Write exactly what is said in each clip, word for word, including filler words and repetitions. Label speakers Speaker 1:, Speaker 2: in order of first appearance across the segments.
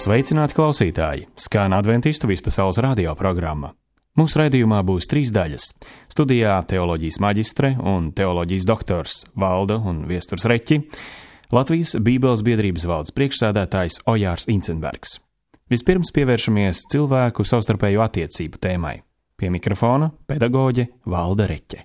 Speaker 1: Sveicināti klausītāji! Skan Adventistu vispasaules radio programma. Mūsu raidījumā būs trīs daļas. Studijā teoloģijas maģistre un teoloģijas doktors Valda un Viesturs Reķi, Latvijas Bībeles biedrības valdes priekšsēdētājs Ojārs Incenbergs. Vispirms pievēršamies cilvēku savstarpējo attiecību tēmai. Pie mikrofona pedagoģe Valda Reķe.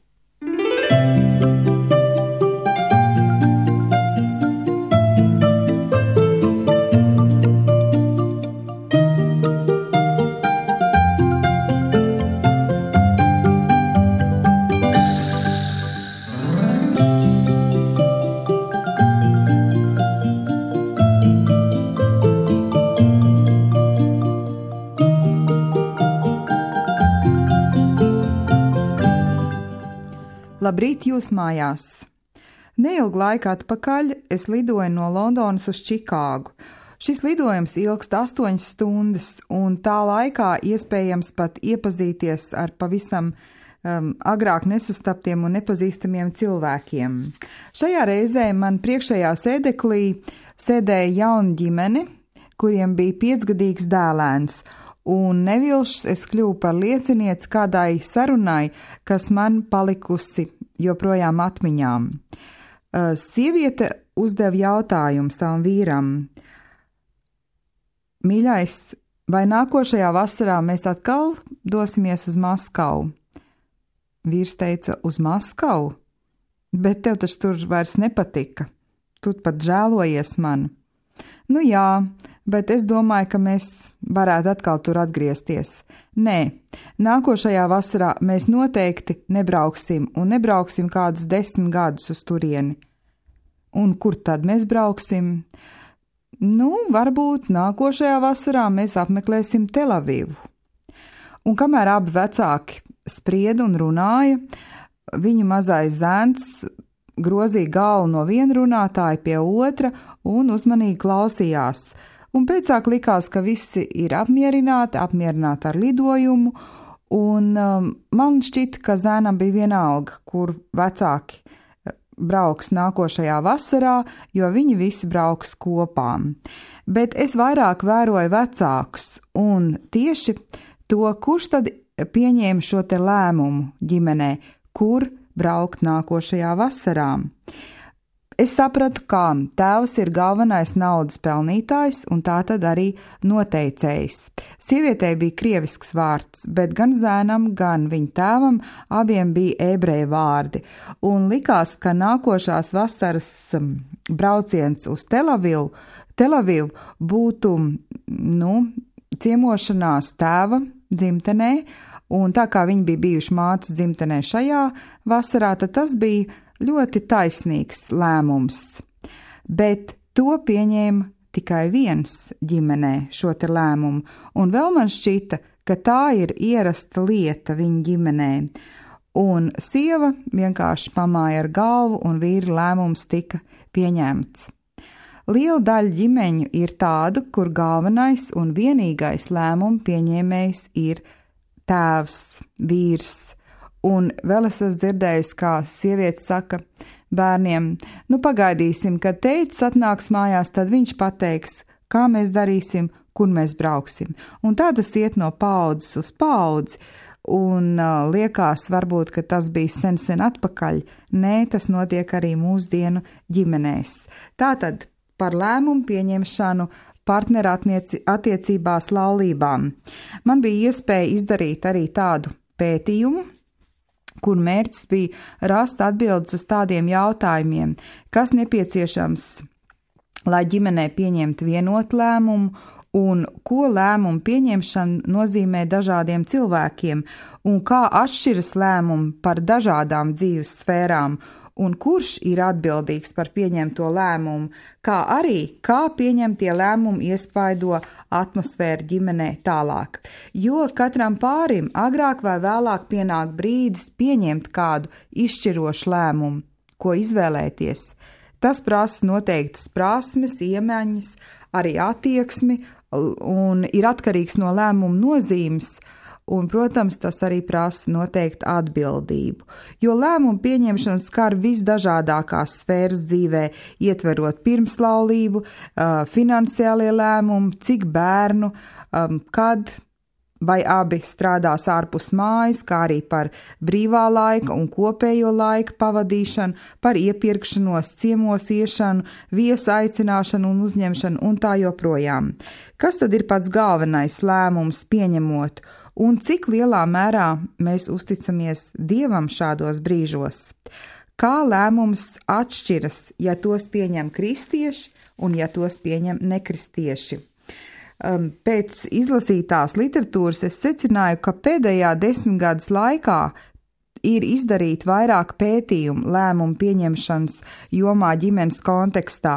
Speaker 2: Labrīt jūs mājās! Neilgu laiku atpakaļ es lidoju no Londonas uz Čikāgu. Šis lidojums ilgst astoņas stundas, un tā laikā iespējams pat iepazīties ar pavisam um, agrāk nesastaptiem un nepazīstamiem cilvēkiem. Šajā reizē man priekšējā sēdeklī sēdēja jauna ģimene, kuriem bija piecgadīgs dēlēns, un nevilšs es kļuvu par liecinieci kādai sarunai, kas man palikusi joprojām atmiņām. Sieviete uzdeva jautājumu savam vīram: Mīļais, vai nākošajā vasarā mēs atkal dosimies uz Maskavu? Vīrs teica: uz Maskavu? Bet tev taču tur vairs nepatika. Tu pat žēlojies man. Nu jā, bet es domāju, ka mēs varētu atkal tur atgriezties. Nē, nākošajā vasarā mēs noteikti nebrauksim un nebrauksim kādus desmit gadus uz turieni. Un kur tad mēs brauksim? Nu, varbūt nākošajā vasarā mēs apmeklēsim Telavivu. Un kamēr abi vecāki sprieda un runāja, viņu mazais zēns grozīja galvu no viena runātāja pie otra un uzmanīgi klausījās. Un pēcāk likās, ka visi ir apmierināti, apmierināti ar lidojumu, un um, man šķita, ka zēnam bija vienalga, kur vecāki brauks nākošajā vasarā, jo viņi visi brauks kopā. Bet es vairāk vēroju vecākus, un tieši to, kurš tad pieņēma šo te lēmumu ģimenē, kur braukt nākošajā vasarā. Es sapratu, ka tēvs ir galvenais naudas pelnītājs un tā tad arī noteicējs. Sievietei bija krievisks vārds, bet gan zēnam, gan viņa tēvam abiem bija ebreju vārdi. Un likās, ka nākošās vasaras brauciens uz Telavivu, Telavivu būtu, nu, ciemošanās tēva dzimtenē, un tā kā viņi bija bijuši mātes dzimtenē šajā vasarā, tad tas bija ļoti taisnīgs lēmums. Bet to pieņēma tikai viens ģimenē šo te lēmumu, un vēl man šķita, ka tā ir ierasta lieta viņa ģimenē. Un sieva vienkārši pamāja ar galvu, un vīra lēmums tika pieņemts. Liela daļa ģimeņu ir tādu, kur galvenais un vienīgais lēmumu pieņēmējs ir tēvs, vīrs. Un vēl es esmu dzirdējusi, kā sieviete saka bērniem: nu pagaidīsim, kad tētis atnāks mājās, tad viņš pateiks, kā mēs darīsim, kur mēs brauksim. Un tā tas iet no paaudzes uz paudzi, un uh, liekas varbūt, ka tas bija sen sen atpakaļ. Nē, tas notiek arī mūsdienu ģimenēs. Tātad par lēmumu pieņemšanu partneru attiecībās laulībām. Man bija iespēja izdarīt arī tādu pētījumu, kur mērķis bija rast atbildes uz tādiem jautājumiem, kas nepieciešams, lai ģimenē pieņemtu vienotu lēmumu, un ko lēmumu pieņemšana nozīmē dažādiem cilvēkiem, un kā atšķiras lēmumi par dažādām dzīves sfērām, un kurš ir atbildīgs par pieņemto lēmumu, kā arī kā pieņemtie lēmumi iespaido atmosfēru ģimenē tālāk. Jo katram pārim agrāk vai vēlāk pienāk brīdis pieņemt kādu izšķirošu lēmumu, ko izvēlēties. Tas prasa noteiktas prasmes, iemaņas, arī attieksmi, un ir atkarīgs no lēmuma nozīmes, Un, protams, tas arī prasa noteikti atbildību, jo lēmumu pieņemšana skar visdažādākās sfēras dzīvē, ietverot pirmslaulību, finansiālie lēmumi, cik bērnu, kad vai abi strādās ārpus mājas, kā arī par brīvā laika un kopējo laika pavadīšanu, par iepirkšanos, ciemos iešanu, viesu aicināšanu un uzņemšanu un tā joprojām. Kas tad ir pats galvenais lēmums pieņemot un cik lielā mērā mēs uzticamies Dievam šādos brīžos? Kā lēmums atšķiras, ja tos pieņem kristieši un ja tos pieņem nekristieši? Pēc izlasītās literatūras es secināju, ka pēdējā desmitgades laikā ir izdarīti vairāk pētījumu lēmumu pieņemšanas jomā ģimenes kontekstā,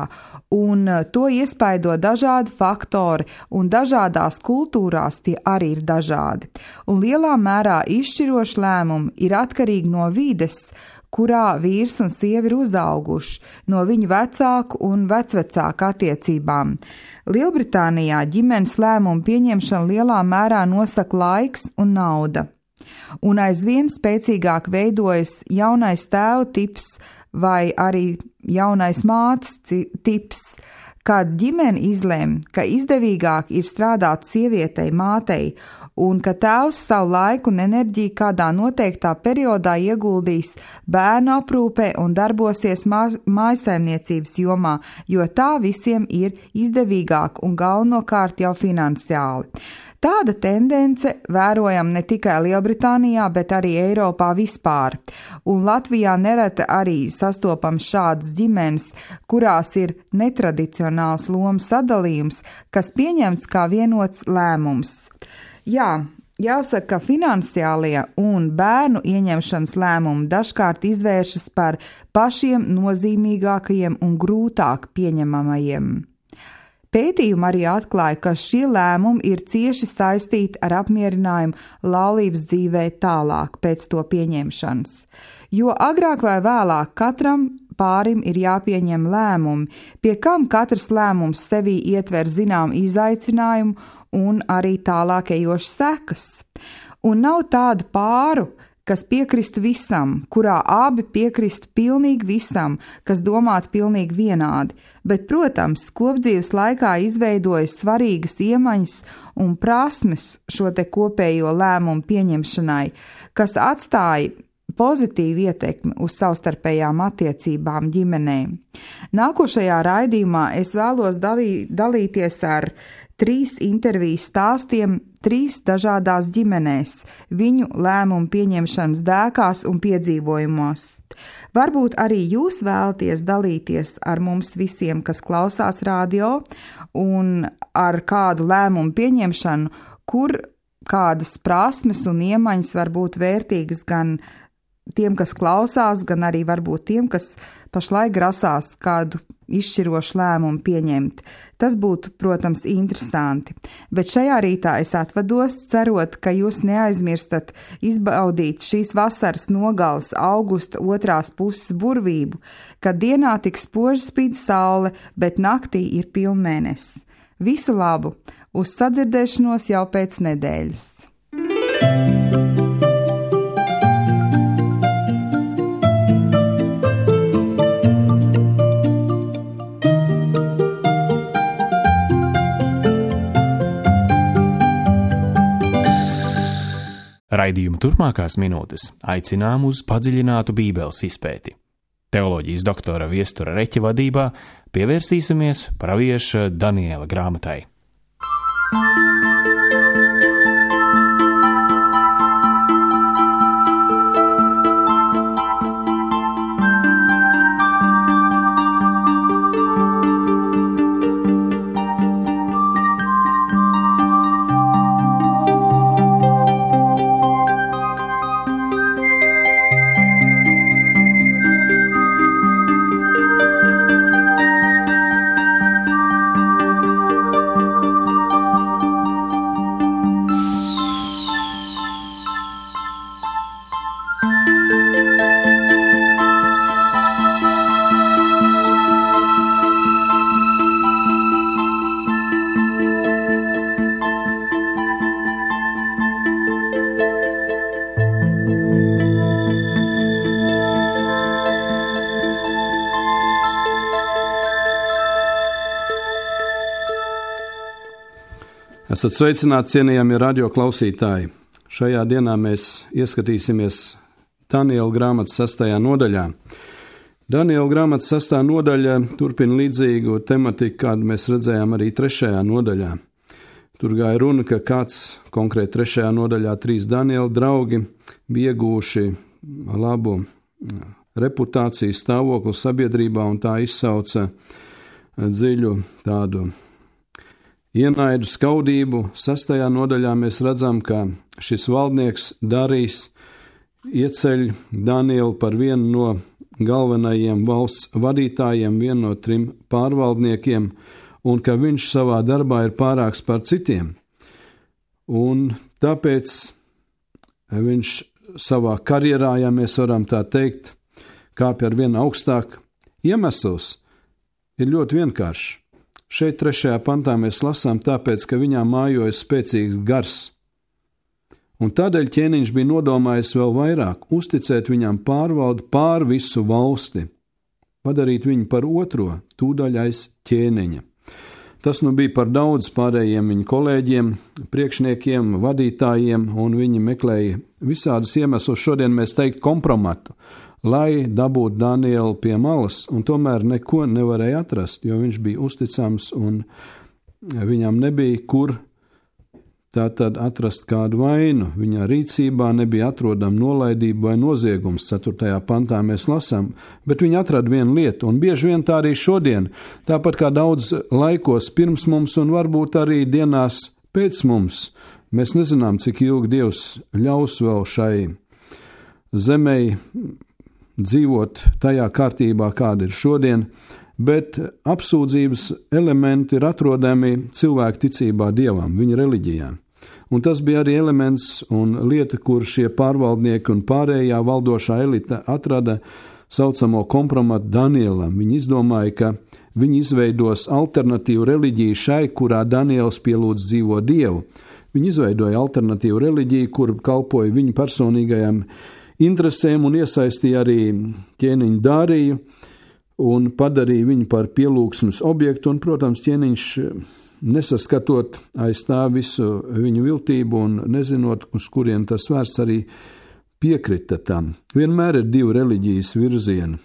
Speaker 2: un to iespaido dažādi faktori, un dažādās kultūrās tie arī ir dažādi. Un lielā mērā izšķiroši lēmumi ir atkarīgi no vides, kurā vīrs un sieva ir uzauguši, no viņu vecāku un vecvecāku attiecībām. Lielbritānijā ģimenes lēmumu pieņemšanu lielā mērā nosaka laiks un nauda. Un aizvien spēcīgāk veidojas jaunais tēva tips vai arī jaunais mātes tips, kad ģimene izlēma, ka izdevīgāk ir strādāt sievietei, mātei, un ka tēvs savu laiku un enerģiju kādā noteiktā periodā ieguldīs bērnu aprūpē un darbosies mājsaimniecības jomā, jo tā visiem ir izdevīgāk un galvenokārt jau finansiāli. Tāda tendence vērojam ne tikai Lielbritānijā, bet arī Eiropā vispār, un Latvijā nereti arī sastopam šādas ģimenes, kurās ir netradicionāls lomu sadalījums, kas pieņemts kā vienots lēmums. Jā, jāsaka, ka finansiālie un bērnu ieņemšanas lēmumi dažkārt izvēršas par pašiem nozīmīgākajiem un grūtāk pieņemamajiem. Pētījumi arī atklāja, ka šie lēmumi ir cieši saistīti ar apmierinājumu laulības dzīvē tālāk pēc to pieņemšanas, jo agrāk vai vēlāk katram pārim ir jāpieņem lēmumi, pie kam katrs lēmums sevī ietver zinām izaicinājumu un arī tālāk ejošas sekas. Un nav tādu pāru, kas piekristu visam, kurā abi piekristu pilnīgi visam, kas domātu pilnīgi vienādi, bet, protams, kopdzīves laikā izveidojas svarīgas iemaņas un prasmes šo te kopējo lēmumu pieņemšanai, kas atstāja pozitīvu ietekmi uz savstarpējām attiecībām ģimenē. Nākošajā raidījumā es vēlos dalī, dalīties ar trīs interviju stāstiem trīs dažādās ģimenēs, viņu lēmumu pieņemšanas dēkās un piedzīvojumos. Varbūt arī jūs vēlaties dalīties ar mums visiem, kas klausās radio, un ar kādu lēmumu pieņemšanu, kur kādas prasmes un iemaņas var būt vērtīgas gan tiem, kas klausās, gan arī varbūt tiem, kas pašlaik grasās kādu izšķirošu lēmumu pieņemt. Tas būtu, protams, interesanti. Bet šajā rītā es atvados, cerot, ka jūs neaizmirstat izbaudīt šīs vasaras nogales augusta otrās puses burvību, kad dienā tik spoži spīd saule, bet naktī ir pilnmēnesis. Visu labu! Uz sadzirdēšanos jau pēc nedēļas!
Speaker 1: Raidījuma turpmākās minūtes aicinām uz padziļinātu Bībeles izpēti. Teoloģijas doktora Viestura Reķa vadībā pievērsīsimies pravieša Daniela grāmatai.
Speaker 3: Esat sveicināti, cienījamie radio klausītāji. Šajā dienā mēs ieskatīsimies Daniela grāmatas sastajā nodaļā. Daniela grāmatas sastā nodaļa turpina līdzīgu tematiku, kādu mēs redzējām arī trešajā nodaļā. Tur gāja runa, ka kāds konkrēti trešajā nodaļā trīs Daniela draugi bija iegūši labu reputāciju stāvokli sabiedrībā, un tā izsauca dziļu tādu ienaidu, skaudību. Sastajā nodaļā mēs redzam, ka šis valdnieks Darījs ieceļ Danielu par vienu no galvenajiem valsts vadītājiem, vienu no trim pārvaldniekiem, un ka viņš savā darbā ir pārāks par citiem. Un tāpēc viņš savā karjerā, ja mēs varam tā teikt, kāpj ar vienu augstāk. Iemesls ir ļoti vienkāršs. Šeit trešajā pantā mēs lasām tāpēc, ka viņā mājoja spēcīgs gars. Un tādēļ ķēniņš bija nodomājis vēl vairāk uzticēt viņam pārvaldi pār visu valsti, padarīt viņu par otro tūdaļais ķēniņa. Tas nu bija par daudz pārējiem viņa kolēģiem, priekšniekiem, vadītājiem, un viņi meklēja visādas iemeslus, šodien mēs teikt kompromatu, lai dabūtu Danielu pie malas, un tomēr neko nevarēja atrast, jo viņš bija uzticams un viņam nebija kur tātad atrast kādu vainu. Viņa rīcībā nebija atrodama nolaidība vai noziegums, ceturtajā pantā mēs lasām, bet viņi atrada vienu lietu, un bieži vien tā arī šodien, tāpat kā daudz laikos pirms mums un varbūt arī dienās pēc mums. Mēs nezinām, cik ilgi Dievs ļaus vēl šai zemei dzīvot tajā kārtībā, kāda ir šodien, bet apsūdzības elementi ir atrodami cilvēku ticībā Dievam, viņa reliģijā. Un tas bija arī elements un lieta, kur šie pārvaldnieki un pārējā valdošā elite atrada saucamo kompromatu Danielam. Viņi izdomāja, ka viņi izveidos alternatīvu reliģiju šai, kurā Daniels pielūdz dzīvo Dievu. Viņi izveidoja alternatīvu reliģiju, kur kalpoja viņu personīgajam interesēm un iesaistīja arī ķēniņu Darīju un padarīja viņu par pielūgsmes objektu, un, protams, ķēniņš nesaskatot aiz tā visu viņu viltību un nezinot, uz kurien tas vērsts, arī piekrita tam. Vienmēr ir divi reliģijas virzieni,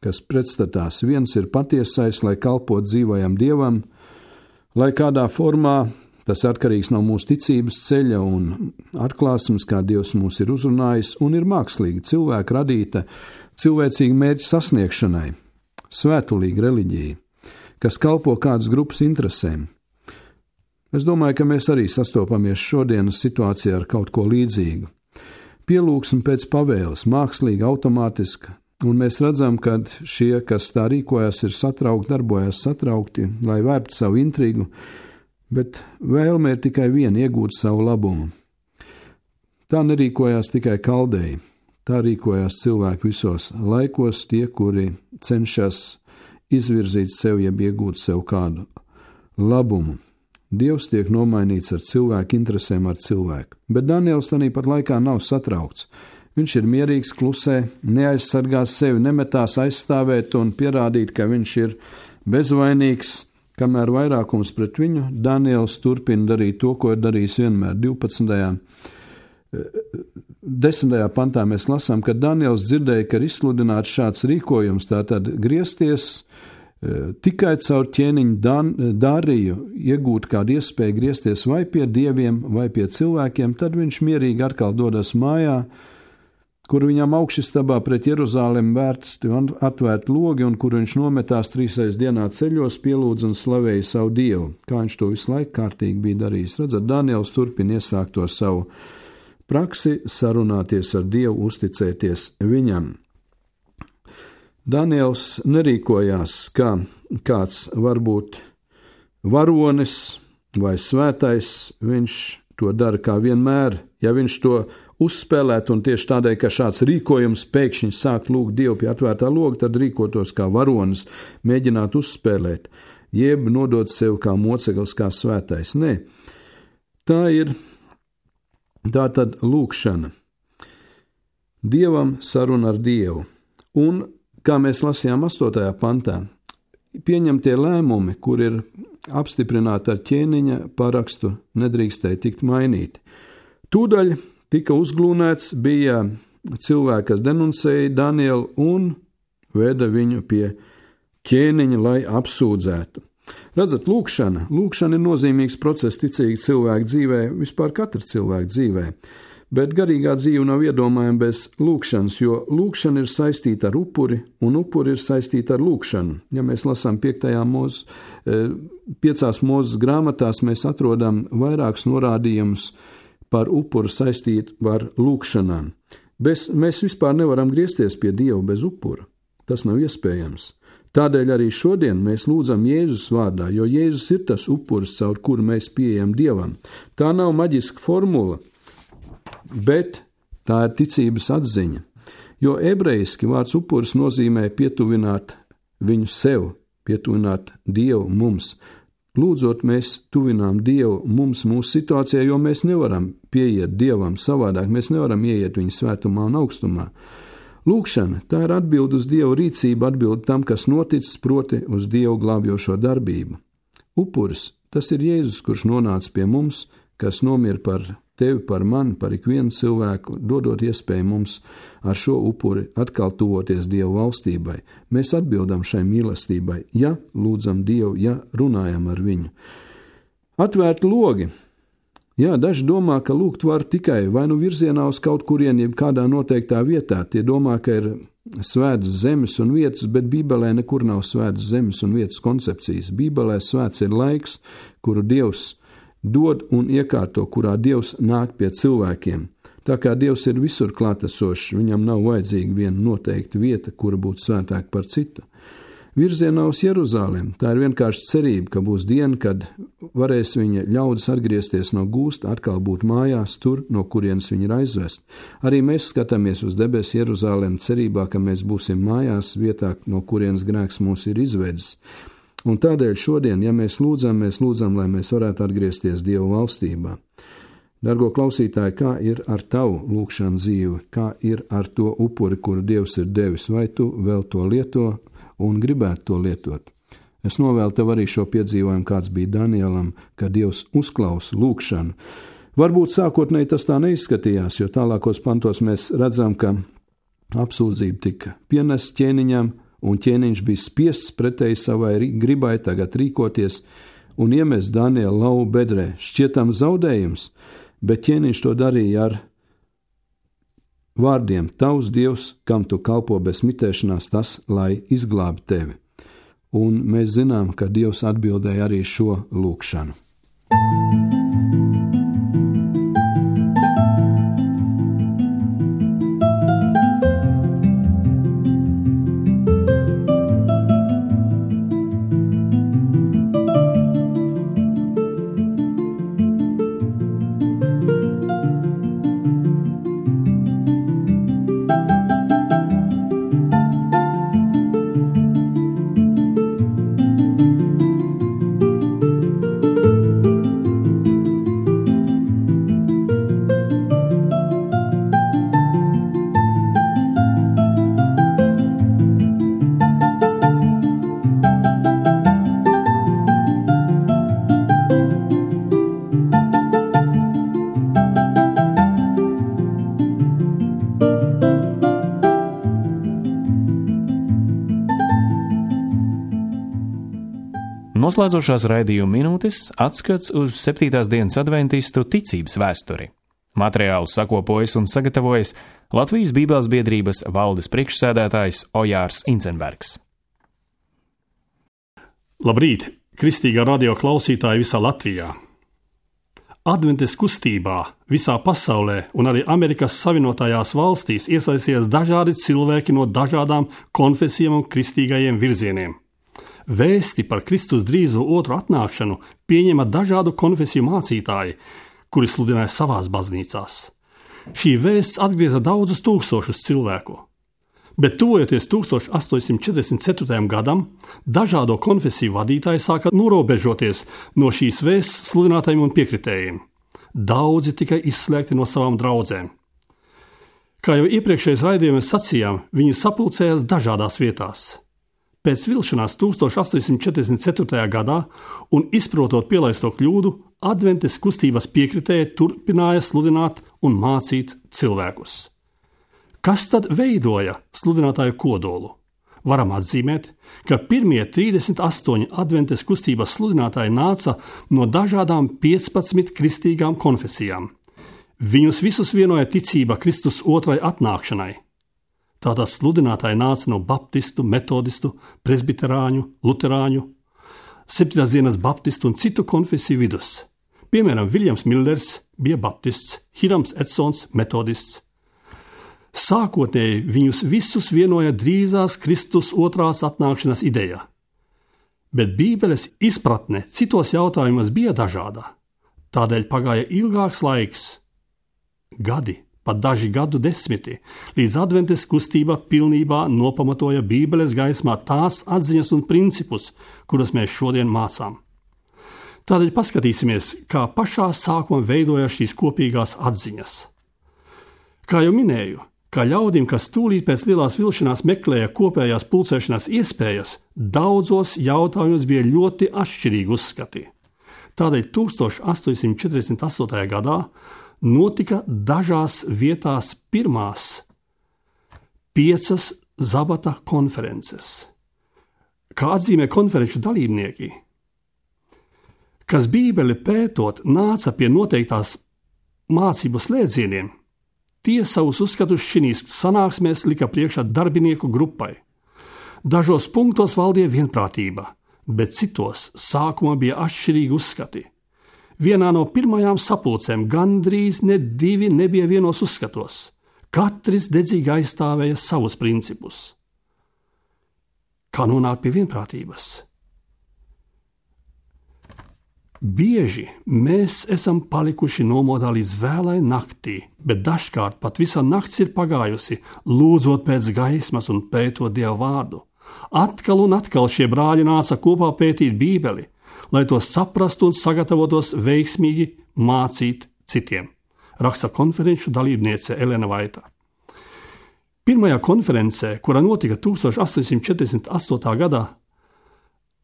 Speaker 3: kas pretstatās. Viens ir patiesais, lai kalpot dzīvajam Dievam, lai kādā formā, tas atkarīgs no mūsu ticības ceļa un atklāsmes, kā Dievs mūs ir uzrunājis, un ir mākslīga, cilvēka radīta, cilvēcīga mērķa sasniegšanai, svētulīga reliģija, kas kalpo kādas grupas interesēm. Es domāju, ka mēs arī sastopamies šodienas situācijā ar kaut ko līdzīgu. Pielūgsme pēc pavēles, mākslīga, automātiska, un mēs redzam, ka šie, kas tā rīkojas, ir satraukti, darbojas satraukti, lai vērtu savu intrigu, bet vēlme ir tikai viena, iegūt savu labumu. Tā nerīkojās tikai kaldēji, tā rīkojās cilvēki visos laikos, tie, kuri cenšas izvirzīt sev, jeb iegūt sev kādu labumu. Dievs tiek nomainīts ar cilvēku interesēm ar cilvēku, bet Daniels tanī pat laikā nav satraukts. Viņš ir mierīgs, klusē, neaizsargās sevi, nemetās aizstāvēt un pierādīt, ka viņš ir bezvainīgs, kamēr vairākums pret viņu. Daniels turpina darīt to, ko ir darījis vienmēr. divpadsmitajā desmitajā pantā mēs lasām, ka Daniels dzirdēja, ka ir izsludināts šāds rīkojums, tātad griezties tikai caur ķēniņu Darīju, iegūt kādu iespēju griezties vai pie dieviem, vai pie cilvēkiem, tad viņš mierīgi atkal dodas mājā, kur viņam augšistabā pret Jeruzālemi vērsti un atvērt logi, un kur viņš nometās trīsreiz dienā ceļos, pielūdz un slavēja savu Dievu, kā viņš to visu laiku kārtīgi bija darījis. Redzat, Daniels turpina iesākt to savu praksi, sarunāties ar Dievu, uzticēties viņam. Daniels nerīkojās kā kāds varbūt varonis vai svētais, viņš to dara kā vienmēr. Ja viņš to uzspēlētu un tieši tādēļ, ka šāds rīkojums pēkšņi sāk lūgt Dievu pie atvērtā loga, tad rīkotos kā varonis, mēģināt uzspēlēt, jeb nodot sev kā moceklis, kā svētais. Nē, tā ir tā tad lūgšana. Dievam saruna ar Dievu. Un kā mēs lasījām astotajā pantā, pieņemtie lēmumi, kur ir apstiprināti ar ķēniņa parakstu, nedrīkstēja tikt mainīti. Tūdaļ tika uzglūnēts, bija cilvēki, kas denuncēja Danielu un veda viņu pie ķēniņa, lai apsūdzētu. Redzat, lūkšana. Lūkšana ir nozīmīgs process ticīgi cilvēku dzīvē, vispār katra cilvēka dzīvē. Bet garīgā dzīve nav iedomājama bez lūkšanas, jo lūkšana ir saistīta ar upuri, un upuri ir saistīta ar lūkšanu. Ja mēs lasām piektajā mūzes, piecās mūzes grāmatās, mēs atrodam vairākus norādījumus par upuru saistītu ar lūkšanām. Bez, mēs vispār nevaram griezties pie Dieva bez upura. Tas nav iespējams. Tādēļ arī šodien mēs lūdzam Jēzus vārdā, jo Jēzus ir tas upuris, caur kuru mēs pieejam Dievam. Tā nav maģiska formula, bet tā ir ticības atziņa, jo ebrejiski vārds upuris nozīmē pietuvināt viņu sev, pietuvināt Dievu mums. Lūdzot, mēs tuvinām Dievu mums mūsu situācijā, jo mēs nevaram pieiet Dievam savādāk, mēs nevaram ieiet viņa svētumā un augstumā. Lūkšana, tā ir atbilde uz Dievu rīcību, atbilde tam, kas noticis, proti uz Dievu glābjošo darbību. Upuris, tas ir Jēzus, kurš nonāca pie mums, kas nomira par tevi, par mani, par ikvienu cilvēku, dodot iespēju mums ar šo upuri atkal tuvoties Dievu valstībai. Mēs atbildam šai mīlestībai, ja lūdzam Dievu, ja runājam ar viņu. Atvērt logi. Jā, daži domā, ka lūgt var tikai vai nu virzienā uz kaut kurieni, jeb kādā noteiktā vietā. Tie domā, ka ir svētas zemes un vietas, bet Bībelē nekur nav svētas zemes un vietas koncepcijas. Bībelē svēts ir laiks, kuru Dievs dod un iekārto, kurā Dievs nāk pie cilvēkiem. Tā kā Dievs ir visur klātesošs, viņam nav vajadzīga viena noteikta vieta, kura būtu svētāka par citu. Virzienā uz Jeruzalem, tā ir vienkārši cerība, ka būs diena, kad varēs viņa ļaudis atgriezties no gūsta, atkal būt mājās tur, no kurienes viņi ir aizvest. Arī mēs skatāmies uz debesu Jeruzalem cerībā, ka mēs būsim mājās vietā, no kurienes grēks mūs ir izvedis. Un tādēļ šodien, ja mēs lūdzam, mēs lūdzam, lai mēs varētu atgriezties Dieva valstībā. Dargo klausītāji, kā ir ar tavu lūkšanu dzīvi, kā ir ar to upuri, kuru Dievs ir devis, vai tu vēl to lieto un gribētu to lietot? Es novēlu tev arī šo piedzīvojumu, kāds bija Danielam, ka Dievs uzklausa lūkšanu. Varbūt sākotnēji tas tā neizskatījās, jo tālākos pantos mēs redzam, ka apsūdzība tika pienest ķēniņam, un ķēniņš bija spiests pretēji savai gribai tagad rīkoties un iemest Danielu lauvu bedrē. Šķietam zaudējums, bet ķēniņš to darīja ar vārdiem: tavs Dievs, kam tu kalpo bez mitēšanās, tas, lai izglābj tevi. Un mēs zinām, ka Dievs atbildēja arī šo lūkšanu.
Speaker 1: Noslēdzošās raidījuma minūtes atskats uz septītās dienas adventistu ticības vēsturi. Materiālu sakopojas un sagatavojas Latvijas Bībeles biedrības valdes priekšsēdētājs Ojārs Incenbergs.
Speaker 4: Labrīt, kristīgā radio klausītāji visā Latvijā! Adventes kustībā visā pasaulē un arī Amerikas Savienotajās valstīs iesaisties dažādi cilvēki no dažādām konfesijām un kristīgajiem virzieniem. Vēsti par Kristus drīzo otru atnākšanu pieņema dažādu konfesiju mācītāji, kuri sludināja savās baznīcās. Šī vēsts atgrieza daudzus tūkstošus cilvēku. Bet tuvojoties tūkstoš astoņsimt četrdesmit ceturtajam gadam, dažādo konfesiju vadītāji sāka norobežoties no šīs vēsts sludinātājiem un piekritējiem. Daudzi tika izslēgti no savām draudzēm. Kā jau iepriekšējais raidījumos sacījām, viņi sapulcējās dažādās vietās. Pēc vilšanās tuldstoš astoņsimt četrdesmit ceturtajā gadā un izprotot pielaisto kļūdu, adventes kustības piekritēji turpināja sludināt un mācīt cilvēkus. Kas tad veidoja sludinātāju kodolu? Varam atzīmēt, ka pirmie trīsdesmit astoņi adventes kustības sludinātāji nāca no dažādām piecpadsmit kristīgām konfesijām. Viņus visus vienoja ticība Kristus otrai atnākšanai. Tātad sludinātāji nāca no baptistu, metodistu, presbiterāņu, luterāņu, septītās dienas baptistu un citu konfesiju vidus. Piemēram, Viljams Millers bija baptists, Hirams Edsons metodists. Sākotnēji viņus visus vienoja drīzās Kristus otrās atnākšanas ideja, bet Bībeles izpratne citos jautājumos bija dažāda. Tādēļ pagāja ilgāks laiks, gadi, pat daži gadu desmiti, līdz adventes kustība pilnībā nopamatoja Bībeles gaismā tās atziņas un principus, kurus mēs šodien mācām. Tādēļ paskatīsimies, kā pašā sākumā veidoja šīs kopīgās atziņas. Kā jau minēju, kā ļaudim, kas tūlīt pēc lielās vilšanās meklēja kopējās pulcēšanās iespējas, daudzos jautājumos bija ļoti atšķirīgi uzskati. Tādēļ tuldstoš astoņsimt četrdesmit astotajā gadā notika dažās vietās pirmās piecas Zabata konferences. Kā atzīmē konferenču dalībnieki, kas Bībeli pētot nāca pie noteiktās mācību slēdzieniem, tie savus uzskatus šīs sanāksmēs lika priekšā darbinieku grupai. Dažos punktos valdīja vienprātība, bet citos sākumā bija atšķirīgi uzskati. Vienā no pirmajām sapulcēm gandrīz ne divi nebija vienos uzskatos. Katrs dedzīgi aizstāvēja savus principus. Kā nonākt pie vienprātības? Bieži mēs esam palikuši nomodā līdz vēlai naktī, bet dažkārt pat visa nakts ir pagājusi, lūdzot pēc gaismas un pētot Dieva vārdu. Atkal un atkal šie brāļi nāca kopā pētīt Bībeli, lai to saprastu un sagatavotos veiksmīgi mācīt citiem, raksta konferenču dalībniece Elena Vaita. Pirmajā konferencē, kura notika tuldstoš astoņsimt četrdesmit astotā gadā,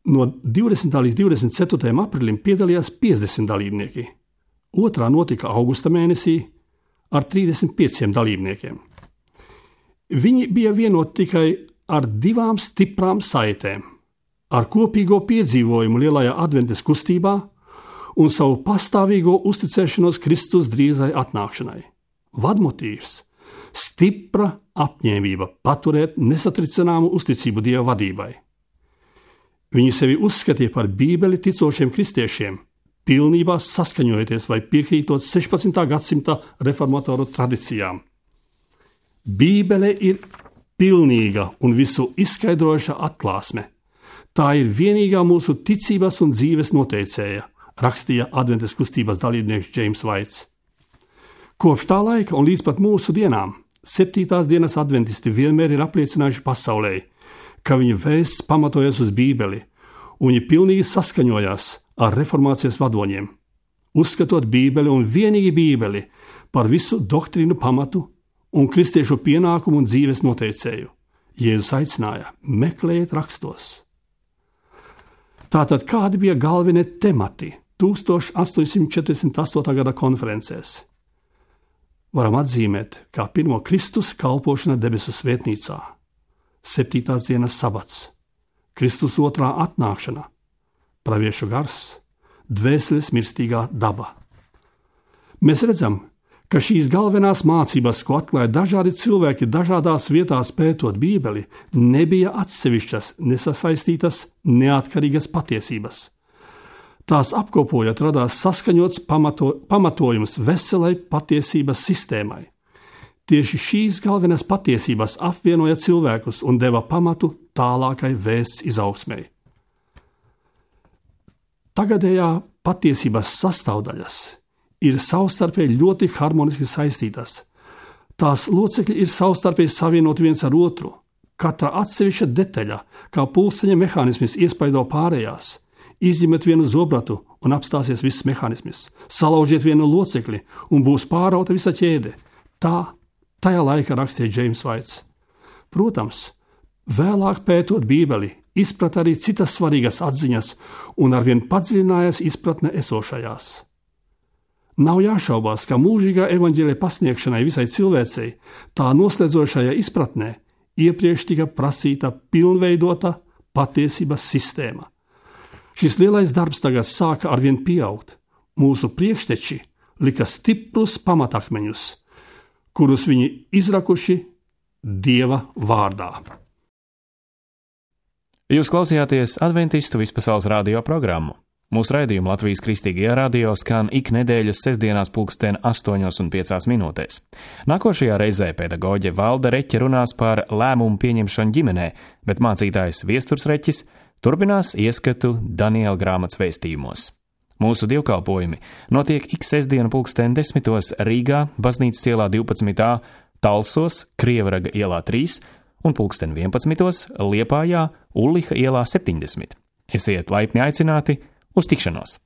Speaker 4: no divdesmitā līdz divdesmit ceturtajam aprīlim piedalījās piecdesmit dalībnieki. Otrā notika augusta mēnesī ar trīsdesmit pieciem dalībniekiem. Viņi bija vienoti tikai ar divām stiprām saitēm, ar kopīgo piedzīvojumu lielajā adventes kustībā un savu pastāvīgo uzticēšanos Kristus drīzai atnākšanai. Vadmotīvs – stipra apņēmība paturēt nesatricināmu uzticību Dieva vadībai. Viņi sevi uzskatīja par Bībeli ticošiem kristiešiem, pilnībā saskaņojoties vai piekrītot sešpadsmitā gadsimta reformatoru tradīcijām. Bībele ir pilnīga un visu izskaidrojoša atklāsme. Tā ir vienīgā mūsu ticības un dzīves noteicēja, rakstīja adventes kustības dalībnieks James Vaits. Kopš tā laika un līdz pat mūsu dienām septītās dienas adventisti vienmēr ir apliecinājuši pasaulē, ka viņa vēsts pamatojas uz Bībeli, un viņi pilnīgi saskaņojās ar reformācijas vadoņiem, uzskatot Bībeli un vienīgi Bībeli par visu doktrīnu pamatu un kristiešu pienākumu un dzīves noteicēju. Jēzus aicināja: meklējiet rakstos. Tātad kādi bija galvenie temati tuldstoš astoņsimt četrdesmit astotā gada konferencēs? Varam atzīmēt, kā pirmo Kristus kalpošana debesu svētnīcā, septītās dienas sabats, Kristus otrā atnākšana, praviešu gars, dvēseles mirstīgā daba. Mēs redzam, ka šīs galvenās mācības, ko atklāja dažādi cilvēki dažādās vietās pētot Bībeli, nebija atsevišķas, nesasaistītas, neatkarīgas patiesības. Tās apkopojot radās saskaņots pamato, pamatojums veselai patiesības sistēmai. Tieši šīs galvenās patiesības apvienoja cilvēkus un deva pamatu tālākai vēsts izaugsmei. Tagadējā patiesības sastāvdaļas ir savstarpēji ļoti harmoniski saistītas. Tās locekļi ir savstarpēji savienoti viens ar otru. Katra atsevišķa detaļa, kā pulksteņa mehānisms iespaido pārējās. Izņemiet vienu zobratu un apstāsies viss mehānisms. Salaužiet vienu locekli un būs pārauta visa ķēde. Tā tajā laikā rakstīja James Vaits. Protams, vēlāk pētot Bībeli, izprata arī citas svarīgas atziņas un arvien padziļinājās izpratne esošajās. Nav jāšaubās, ka mūžīgā evaņģēlija pasniegšanai visai cilvēcei, tā noslēdzošajā izpratnē, iepriekš tika prasīta pilnveidota patiesības sistēma. Šis lielais darbs tagad sāka arvien pieaugt. Mūsu priekšteči lika stiprus pamatakmeņus, kurus viņi izrakuši Dieva vārdā.
Speaker 1: Jūs klausījāties Adventistu vispasaules radio programmu. Mūsu raidījumu Latvijas Kristīgajā radio skan ik nedēļas sestdienās pulksten astoņos un piecās minūtēs. Nākošajā reizē pedagoģe Valda Reķe runās par lēmumu pieņemšanu ģimenē, bet mācītājs Viesturs Reķis turpinās ieskatu Daniela grāmatas vēstījumos. Mūsu dievkalpojumi notiek ik sestdienu pulksten desmitos Rīgā, Baznīcas ielā divpadsmit A, Talsos, Krievraga ielā trīs un pulksten vienpadsmitos Liepājā, Ulliha ielā septiņdesmit. Esiet laipni aicināti uz tikšanos!